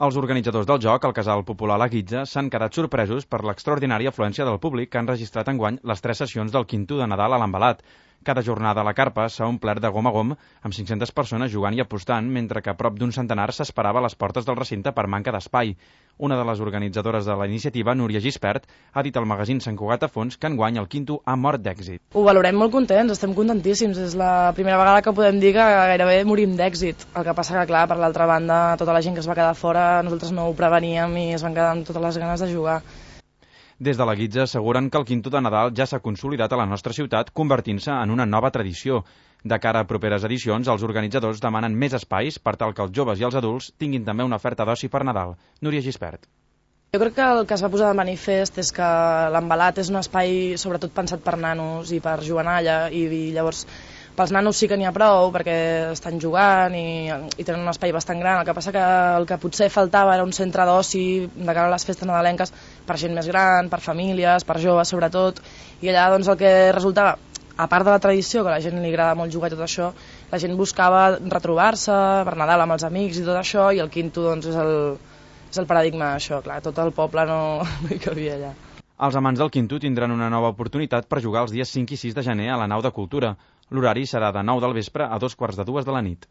Els organitzadors del joc, el Casal Popular La Guitza, s'han quedat sorpresos per l'extraordinària afluència del públic que han registrat enguany les 3 sessions del Quinto de Nadal a l'Envelat. Cada jornada a la carpa s'ha omplert de gom a gom, amb 500 persones jugant i apostant, mentre que prop d'un centenar s'esperava a les portes del recinte per manca d'espai. Una de les organitzadores de la iniciativa, Núria Gispert, ha dit al magazín Sant Cugat a Fons que enguany el Quinto ha mort d'èxit. Ho valorem molt contents, estem contentíssims. És la primera vegada que podem dir que gairebé morim d'èxit. El que passa que, clar, per l'altra banda, tota la gent que es va quedar fora, nosaltres no ho preveníem i es van quedar amb totes les ganes de jugar. Des de la Guitza asseguren que el Quinto de Nadal ja s'ha consolidat a la nostra ciutat, convertint-se en una nova tradició. De cara a properes edicions, els organitzadors demanen més espais per tal que els joves i els adults tinguin també una oferta d'oci per Nadal. Núria Gispert. Jo crec que el que es va posar de manifest és que l'Envelat és un espai sobretot pensat per nanos i per juganalla i llavors pels nanos sí que n'hi ha prou perquè estan jugant i tenen un espai bastant gran. El que passa que el que potser faltava era un centre d'oci de cara a les festes nadalenques per gent més gran, per famílies, per joves sobretot, i allà doncs el que resultava, a part de la tradició, que a la gent li agrada molt jugar i tot això, la gent buscava retrobar-se per Nadal amb els amics i tot això, i el Quinto doncs, és el paradigma d'això, clar, tot el poble no hi cabia allà. Els amants del Quinto tindran una nova oportunitat per jugar els dies 5 i 6 de gener a la nau de Cultura. L'horari serà de 9 del vespre a 2:45 de la nit.